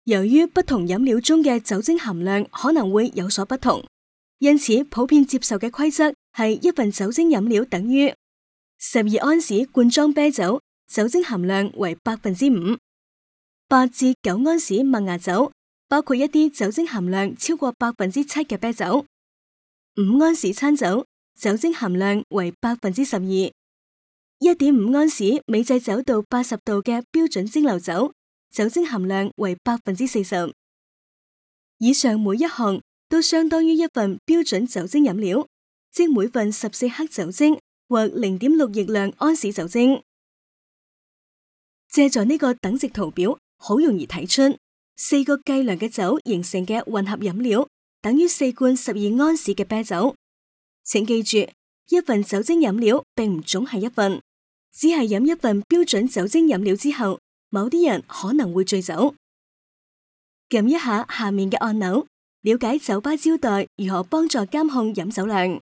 由於不同飲料中嘅酒精含量可能會有所不同，因此普遍接受嘅規則係一份酒精飲料等於12安士罐裝啤酒，酒精含量為 5%； 8至9安士麥芽酒，包括一啲酒精含量超過 7% 嘅啤酒；5安士餐酒，酒精含量為 12%； 1.5安士美製酒到80度嘅標準蒸餾酒，酒精含量為 40%。 以上每一項都相當於一份標準酒精飲料，即每份14克酒精或 0.6 億輛安士酒精。借助呢個等值圖表，好容易睇出4個計量嘅酒形成嘅混合飲料等於4罐12安士嘅啤酒。請記住，一份酒精飲料並唔總係一份，只係飲一份標準酒精飲料之後，某啲人可能會醉酒。撳一下下面嘅按鈕，了解酒吧招待如何幫助監控飲酒量。